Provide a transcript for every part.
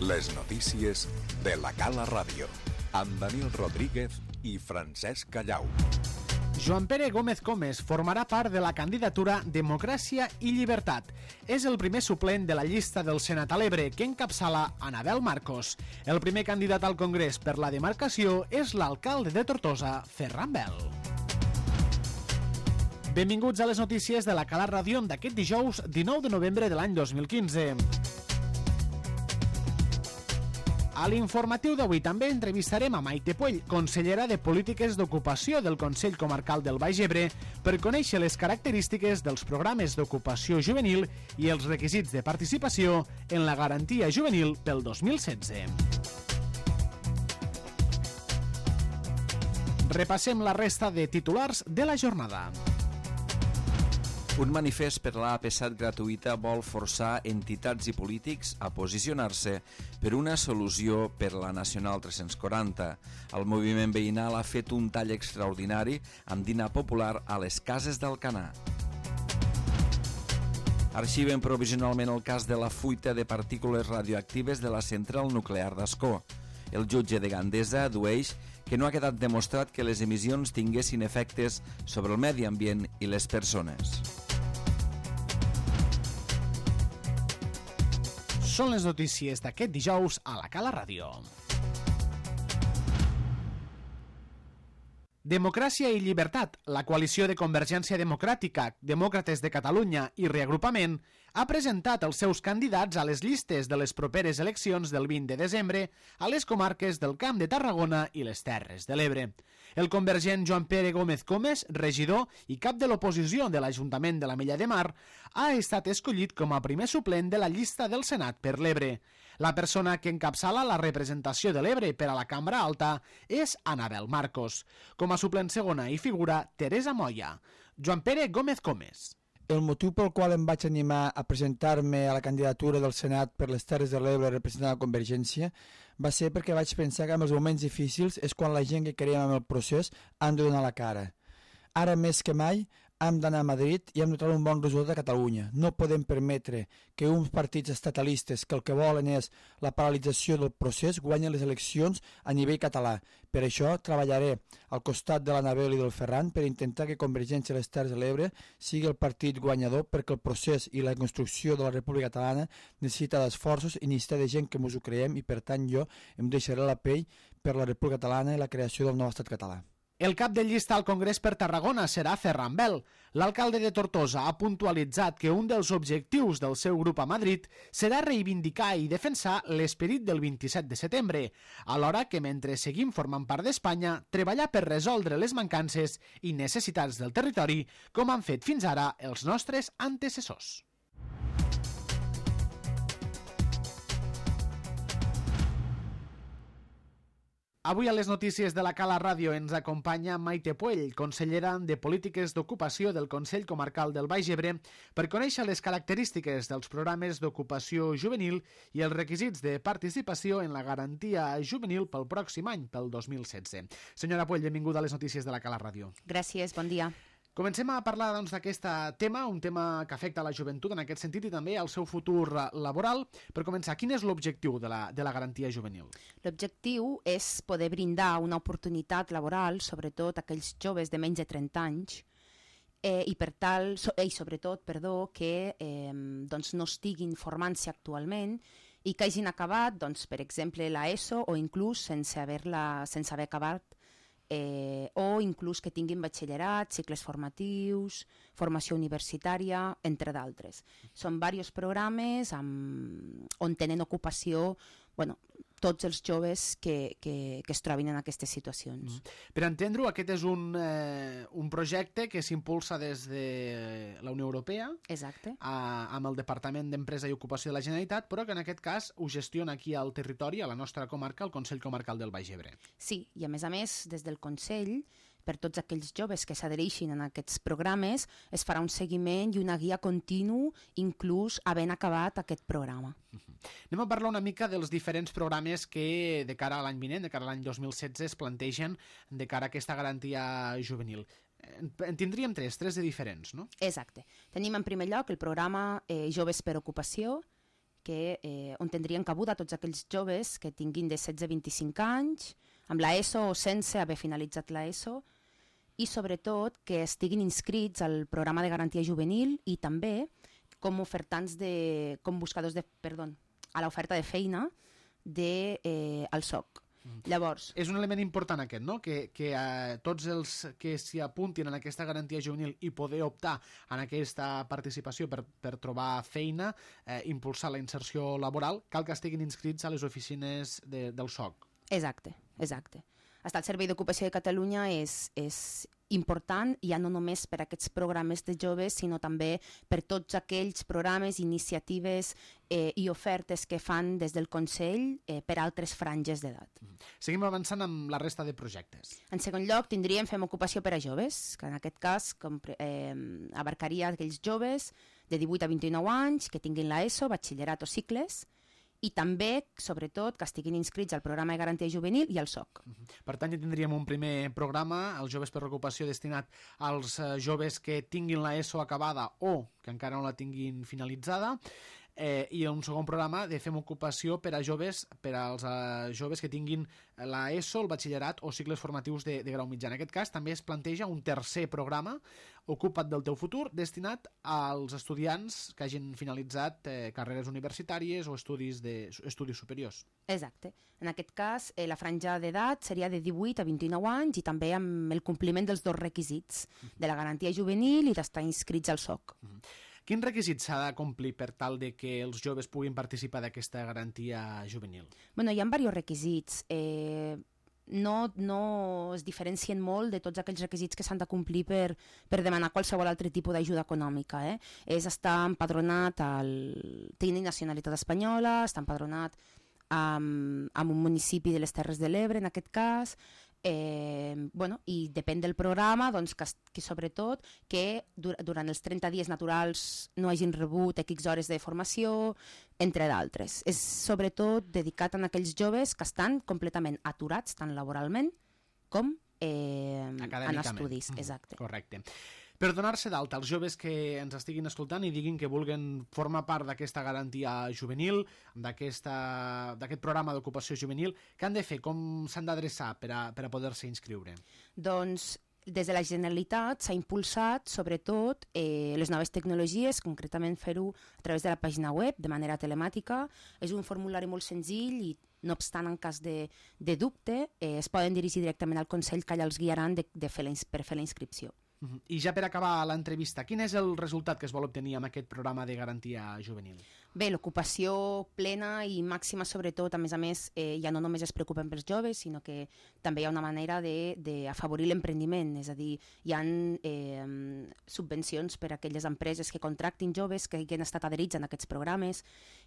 Les notícies de la Cala Ràdio, amb Daniel Rodríguez i Francesc Callau. Joan Pere Gómez Comes formarà part de la candidatura Democràcia i Llibertat. És el primer suplent de la llista del Senat a l'Ebre que encapçala Anabel Marcos. El primer candidat al Congrés per la demarcació és l'alcalde de Tortosa, Ferran Bel. Benvinguts a les notícies de la Cala Ràdio d'aquest dijous 19 de novembre de l'any 2015. A l'informatiu d'avui també entrevistarem a Maite Puell, consellera de Polítiques d'Ocupació del Consell Comarcal del Baix Ebre, per conèixer les característiques dels programes d'ocupació juvenil i els requisits de participació en la garantia juvenil pel 2016. Repassem la resta de titulars de la jornada. Un manifest per la AP7 gratuïta vol forçar entitats i polítics a posicionar-se per una solució per la Nacional 340. El moviment veïnal ha fet un tall extraordinari amb dinar popular a les cases d'Alcanar. Arxiven provisionalment el cas de la fuita de partícules radioactives de la central nuclear d'Ascó. El jutge de Gandesa addueix que no ha quedat demostrat que les emissions tinguessin efectes sobre el medi ambient i les persones. Són les notícies d'aquest dijous a la Cala Ràdio. Democràcia i Llibertat, la coalició de Convergència Democràtica, Demòcrates de Catalunya i Reagrupament, ha presentat els seus candidats a les llistes de les properes eleccions del 20 de desembre a les comarques del Camp de Tarragona i les Terres de l'Ebre. El convergent Joan Pere Gómez Comes, regidor i cap de l'oposició de l'Ajuntament de l'Ametlla de Mar, ha estat escollit com a primer suplent de la llista del Senat per l'Ebre. La persona que encapçala la representació de l'Ebre per a la Cambra Alta és Anabel Marcos. Com a suplent segona hi figura Teresa Moya. Joan Pere Gómez Comes. El motiu pel qual em vaig animar a presentar-me a la candidatura del Senat per les Terres de l'Ebre representant la Convergència va ser perquè vaig pensar que en els moments difícils és quan la gent que creiem en el procés han de donar la cara. Ara més que mai hem d'anar a Madrid i hem de trobar un bon resultat a Catalunya. No podem permetre que uns partits estatalistes que el que volen és la paralització del procés guanyin les eleccions a nivell català. Per això treballaré al costat de l'Anabel i del Ferran per intentar que Convergència de les Terres de l'Ebre sigui el partit guanyador, perquè el procés i la construcció de la República Catalana necessita d'esforços i necessita de gent que mos ho creiem, i per tant jo em deixaré la pell per la República Catalana i la creació del nou estat català. El cap de llista al Congrés per Tarragona serà Ferran Bel. L'alcalde de Tortosa ha puntualitzat que un dels objectius del seu grup a Madrid serà reivindicar i defensar l'esperit del 27 de setembre, alhora que mentre seguim formant part d'Espanya, treballar per resoldre les mancances i necessitats del territori, com han fet fins ara els nostres antecessors. Avui a les notícies de la Cala Ràdio ens acompanya Maite Puell, consellera de Polítiques d'Ocupació del Consell Comarcal del Baix Ebre, per conèixer les característiques dels programes d'ocupació juvenil i els requisits de participació en la garantia juvenil pel pròxim any, pel 2016. Senyora Puell, benvinguda a les notícies de la Cala Ràdio. Gràcies, bon dia. Comencem a parlar d'aquest tema, un tema que afecta la joventut en aquest sentit i també al seu futur laboral. Per començar, quin és l'objectiu de la garantia juvenil? L'objectiu és poder brindar una oportunitat laboral, sobretot a aquells joves de menys de 30 anys, i sobretot que no estiguin formant-se actualment i que hagin acabat, per exemple, l'ESO o inclús sense haver acabat, o inclús que tinguin batxillerat, cicles formatius, formació universitària, entre d'altres. Són diversos programes on tenen ocupació tots els joves que es trobin en aquestes situacions. Per entendre-ho, aquest és un projecte que s'impulsa des de la Unió Europea. Exacte. Amb el Departament d'Empresa i Ocupació de la Generalitat, però que en aquest cas ho gestiona aquí al territori, a la nostra comarca, el Consell Comarcal del Baix Ebre. Sí, i a més, des del Consell, per tots aquells joves que s'adhereixin a aquests programes, es farà un seguiment i una guia continu, inclús havent acabat aquest programa. Anem a parlar una mica dels diferents programes que de cara a l'any vinent, de cara a l'any 2016, es plantegen de cara a aquesta garantia juvenil. En tindríem tres de diferents, no? Exacte. Tenim en primer lloc el programa Joves per Ocupació, on tindrien cabuda tots aquells joves que tinguin de 16 a 25 anys, amb l'ESO o sense haver finalitzat l'ESO, i sobretot que estiguin inscrits al programa de garantia juvenil i també com buscadors a l'oferta de feina al SOC. Llavors, és un element important aquest, no? Que tots els que s'hi apuntin en aquesta garantia juvenil i poder optar en aquesta participació per trobar feina, impulsar la inserció laboral, cal que estiguin inscrits a les oficines del SOC. Exacte. Estar al Servei d'Ocupació de Catalunya és important, ja no només per aquests programes de joves, sinó també per tots aquells programes, iniciatives i ofertes que fan des del Consell per altres franges d'edat. Seguim avançant amb la resta de projectes. En segon lloc, tindríem Fem Ocupació per a Joves, que en aquest cas abarcaria aquells joves de 18 a 29 anys que tinguin l'ESO, batxillerat o cicles, i també, sobretot, que estiguin inscrits al programa de garantia juvenil i al SOC. Per tant, ja tindríem un primer programa, els Joves per l'Ocupació, destinat als joves que tinguin l'ESO acabada o que encara no la tinguin finalitzada, i un segon programa de Fem Ocupació per als joves que tinguin l'ESO, el batxillerat o cicles formatius de grau mitjà. En aquest cas també es planteja un tercer programa, Ocupa't del teu futur, destinat als estudiants que hagin finalitzat carreres universitàries o estudis superiors. Exacte. En aquest cas, la franja d'edat seria de 18 a 29 anys i també amb el compliment dels dos requisits, de la garantia juvenil i d'estar inscrits al SOC. Quins requisits s'ha de complir per tal de que els joves puguin participar d'aquesta garantia juvenil? Hi ha diversos requisits. No es diferencien molt de tots aquells requisits que s'han de complir per demanar qualsevol altre tipus d'ajuda econòmica. És estar empadronat, tenir nacionalitat espanyola, estar empadronat en un municipi de les Terres de l'Ebre, en aquest cas, i depèn del programa, que sobretot que durant els 30 dies naturals no hagin rebut X hores de formació, entre d'altres. És sobretot dedicat a aquells joves que estan completament aturats, tant laboralment com en estudis. Exacte. Correcte. Per donar-se d'alta als joves que ens estiguin escoltant i diguin que vulguen formar part d'aquesta garantia juvenil, d'aquest programa d'ocupació juvenil, què han de fer? Com s'han d'adreçar per a poder-se inscriure? Doncs des de la Generalitat s'ha impulsat sobretot les noves tecnologies, concretament fer-ho a través de la pàgina web, de manera telemàtica. És un formulari molt senzill i no obstant, en cas de dubte, es poden dirigir directament al Consell que allà els guiaran per fer la inscripció. I ja per acabar l'entrevista, quin és el resultat que es vol obtenir amb aquest programa de garantia juvenil? Bé, l'ocupació plena i màxima, sobretot, a més, ja no només es preocupen pels joves, sinó que també hi ha una manera d'afavorir l'emprendiment, és a dir, hi ha subvencions per a aquelles empreses que contractin joves que hagin estat adherits en aquests programes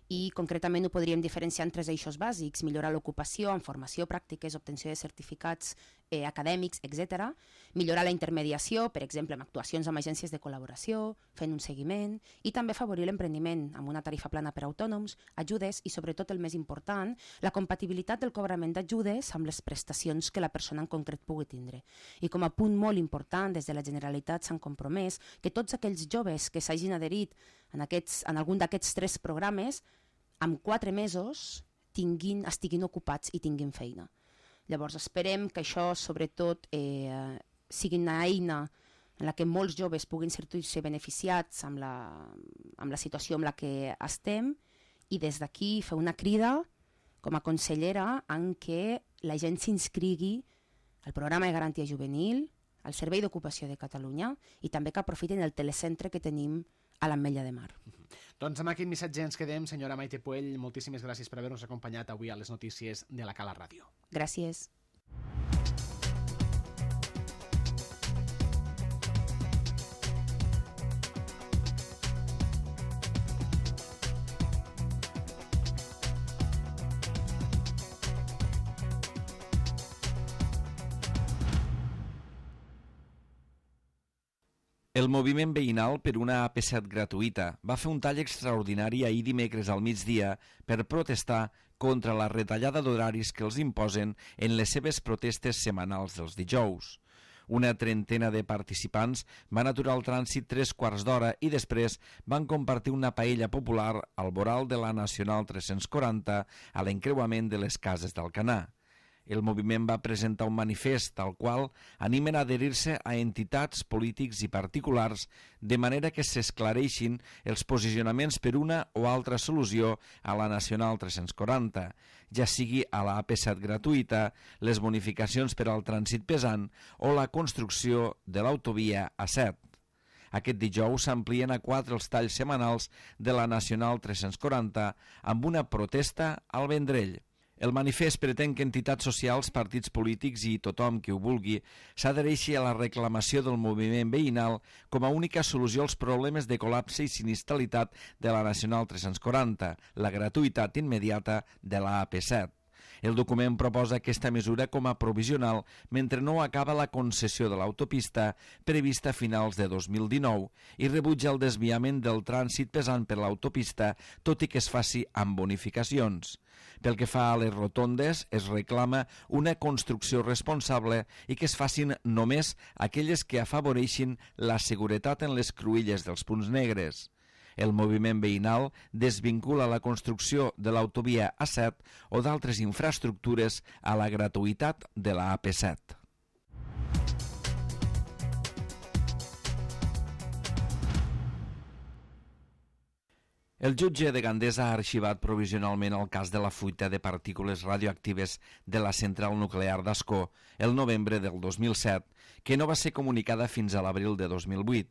i concretament ho podríem diferenciar en tres eixos bàsics: millorar l'ocupació amb formació, pràctiques, obtenció de certificats acadèmics, etc. Millorar la intermediació, per exemple, amb actuacions amb agències de col·laboració, fent un seguiment, i també afavorir l'emprendiment amb una tarifa plana per a autònoms, ajudes i, sobretot, el més important, la compatibilitat del cobrament d'ajudes amb les prestacions que la persona en concret pugui tindre. I com a punt molt important, des de la Generalitat s'han compromès que tots aquells joves que s'hagin adherit en algun d'aquests tres programes, en 4 mesos estiguin ocupats i tinguin feina. Llavors esperem que això, sobretot, sigui una eina en la que molts joves puguin sentir-se beneficiats amb la situació en la que estem, i des d'aquí fer una crida com a consellera en què la gent s'inscrigui al programa de garantia juvenil, al Servei d'Ocupació de Catalunya, i també que aprofitin el telecentre que tenim a l'Ametlla de Mar. Doncs amb aquest missatge ens quedem. Senyora Maite Puell, moltíssimes gràcies per haver-nos acompanyat avui a les notícies de la Cala Ràdio. Gràcies. El moviment veïnal per una AP7 gratuïta va fer un tall extraordinari ahir dimecres al migdia per protestar contra la retallada d'horaris que els imposen en les seves protestes setmanals dels dijous. Una trentena de participants van aturar el trànsit 3/4 d'hora i després van compartir una paella popular al voral de la Nacional 340 a l'encreuament de les Cases d'Alcanar. El moviment va presentar un manifest al qual animen a adherir-se a entitats, polítics i particulars de manera que s'esclareixin els posicionaments per una o altra solució a la Nacional 340, ja sigui a la AP7 gratuïta, les bonificacions per al trànsit pesant o la construcció de l'autovia A7. Aquest dijous s'amplien a 4 els talls setmanals de la Nacional 340 amb una protesta al Vendrell. El manifest pretén que entitats socials, partits polítics i tothom qui ho vulgui s'adhereixi a la reclamació del moviment veïnal com a única solució als problemes de col·lapse i sinistralitat de la Nacional 340, la gratuïtat immediata de la AP7. El document proposa aquesta mesura com a provisional mentre no acaba la concessió de l'autopista prevista a finals de 2019 i rebutja el desviament del trànsit pesant per l'autopista, tot i que es faci amb bonificacions. Pel que fa a les rotondes, es reclama una construcció responsable i que es facin només aquelles que afavoreixin la seguretat en les cruïlles dels punts negres. El moviment veïnal desvincula la construcció de l'autovia A7 o d'altres infraestructures a la gratuïtat de la AP7. El jutge de Gandesa ha arxivat provisionalment el cas de la fuita de partícules radioactives de la central nuclear d'Ascó el novembre del 2007, que no va ser comunicada fins a l'abril de 2008.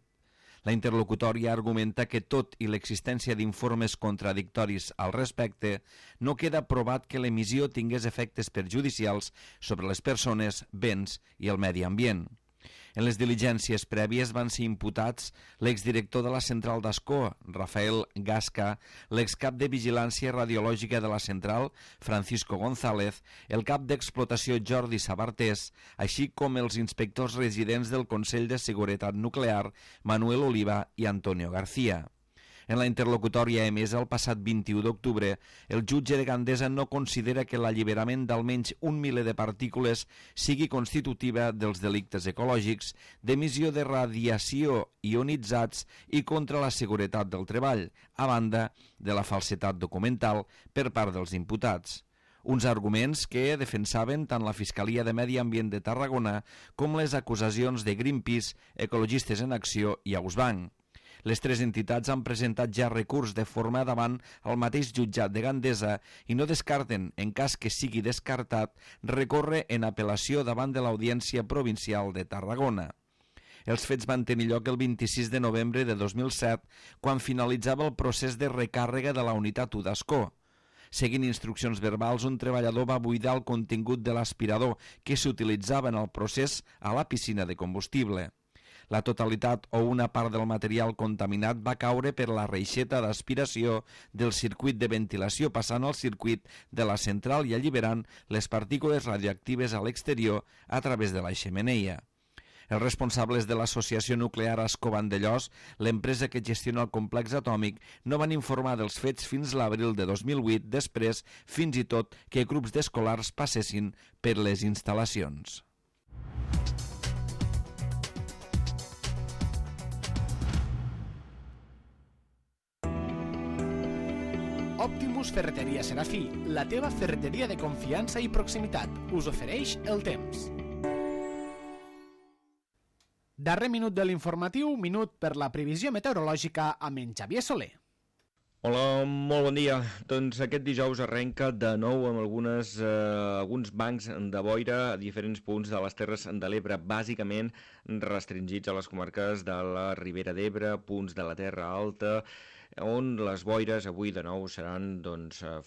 La interlocutòria argumenta que tot i l'existència d'informes contradictoris al respecte, no queda provat que l'emissió tingués efectes perjudicials sobre les persones, béns i el medi ambient. En les diligències prèvies van ser imputats l'exdirector de la central d'Ascó, Rafael Gasca, l'excap de vigilància radiològica de la central, Francisco González, el cap d'explotació Jordi Sabartés, així com els inspectors residents del Consell de Seguretat Nuclear, Manuel Oliva i Antonio García. En la interlocutòria emesa el passat 21 d'octubre, el jutge de Gandesa no considera que l'alliberament d'almenys 1 miler de partícules sigui constitutiva dels delictes ecològics, d'emissió de radiació ionitzats i contra la seguretat del treball, a banda de la falsedat documental per part dels imputats. Uns arguments que defensaven tant la Fiscalia de Medi Ambient de Tarragona com les acusacions de Greenpeace, Ecologistes en Acció i Ausbank. Les tres entitats han presentat ja recurs de forma davant el mateix jutjat de Gandesa i no descarten, en cas que sigui descartat, recórrer en apel·lació davant de l'Audiència Provincial de Tarragona. Els fets van tenir lloc el 26 de novembre de 2007, quan finalitzava el procés de recàrrega de la unitat 1 d'Ascó. Seguint instruccions verbals, un treballador va buidar el contingut de l'aspirador que s'utilitzava en el procés a la piscina de combustible. La totalitat o una part del material contaminat va caure per la reixeta d'aspiració del circuit de ventilació passant al circuit de la central i alliberant les partícules radioactives a l'exterior a través de la xemeneia. Els responsables de l'Associació Nuclear Ascó Vandellòs, l'empresa que gestiona el complex atòmic, no van informar dels fets fins l'abril de 2008, després fins i tot que grups d'escolars passessin per les instal·lacions. Optimus Ferreteria Serafí, la teva ferreteria de confiança i proximitat, us ofereix el temps. Darrer minut de l'informatiu, minut per la previsió meteorològica amb en Xavier Soler. Hola, molt bon dia. Doncs aquest dijous arrenca de nou amb alguns bancs de boira a diferents punts de les Terres de l'Ebre, bàsicament restringits a les comarques de la Ribera d'Ebre, punts de la Terra Alta, on les boires avui de nou seran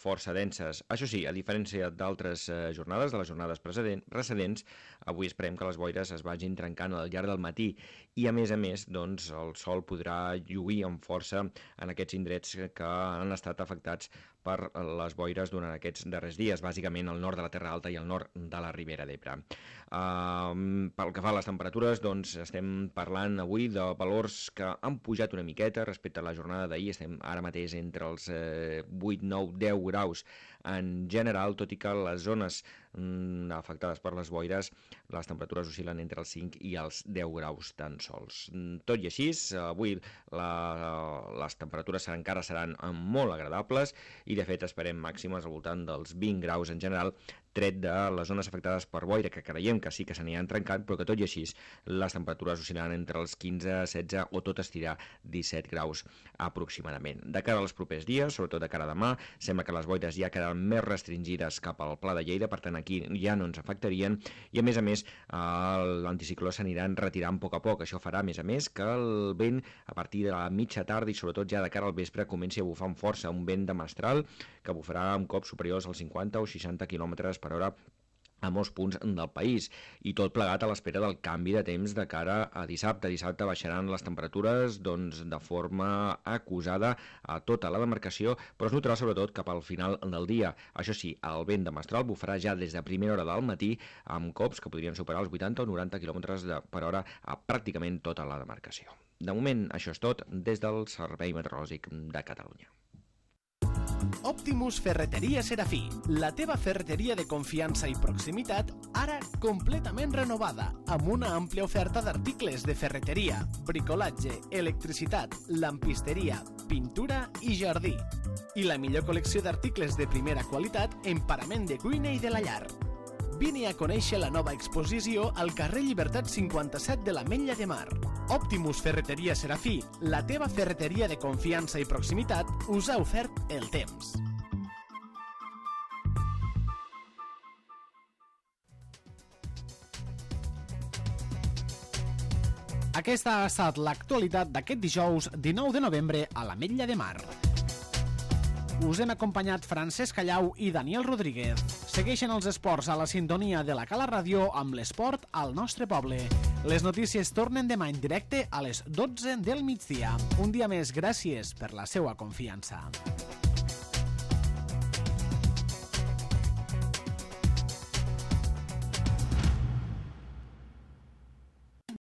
força denses. Això sí, a diferència d'altres jornades, de les jornades precedents, avui esperem que les boires es vagin trencant al llarg del matí i a més, el sol podrà lluir amb força en aquests indrets que han estat afectats per les boires durant aquests darrers dies, bàsicament al nord de la Terra Alta i al nord de la Ribera d'Ebre. Pel que fa a les temperatures, estem parlant avui de valors que han pujat una miqueta respecte a la jornada d'ahir. Estem ara mateix entre els 8, 9, 10 graus en general, tot i que les zones afectades per les boires, les temperatures oscil·len entre els 5 i els 10 graus tan sols. Tot i així, avui les temperatures encara seran molt agradables i de fet esperem màximes al voltant dels 20 graus en general, tret de les zones afectades per boira, que creiem que sí que s'aniran trencant, però que tot i així les temperatures oscil·laran entre els 15, 16 o tot estirar 17 graus aproximadament. De cara als propers dies, sobretot de cara a demà, sembla que les boires ja quedaran més restringides cap al Pla de Lleida, per tant aquí ja no ens afectarien i a més l'anticicló s'anirà retirant a poc. Això farà a més que el vent a partir de la mitja tarda i sobretot ja de cara al vespre comenci a bufar amb força, un vent de mestral que bufarà amb cops superiors als 50 o 60 km per hora a molts punts del país, i tot plegat a l'espera del canvi de temps de cara a dissabte. Dissabte baixaran les temperatures de forma acusada a tota la demarcació, però es notarà sobretot cap al final del dia. Això sí, el vent de mestral bufarà ja des de primera hora del matí amb cops que podrien superar els 80 o 90 km per hora a pràcticament tota la demarcació. De moment, això és tot des del Servei Meteorològic de Catalunya. Optimus Ferreteria Serafí, la teva ferreteria de confiança i proximitat, ara completament renovada, amb una àmplia oferta d'articles de ferreteria, bricolatge, electricitat, lampisteria, pintura i jardí. I la millor col·lecció d'articles de primera qualitat en parament de cuina i de la llar. Vine a conèixer la nova exposició al carrer Llibertat 57 de l'Ametlla de Mar. Optimus Ferreteria Serafí, la teva ferreteria de confiança i proximitat, us ha ofert el temps. Aquesta ha estat l'actualitat d'aquest dijous 19 de novembre a l'Ametlla de Mar. Us hem acompanyat Francesc Callau i Daniel Rodríguez. Segueixen els esports a la sintonia de la Cala Ràdio amb l'esport al nostre poble. Les notícies tornen demà en directe a les 12 del migdia. Un dia més, gràcies per la seva confiança.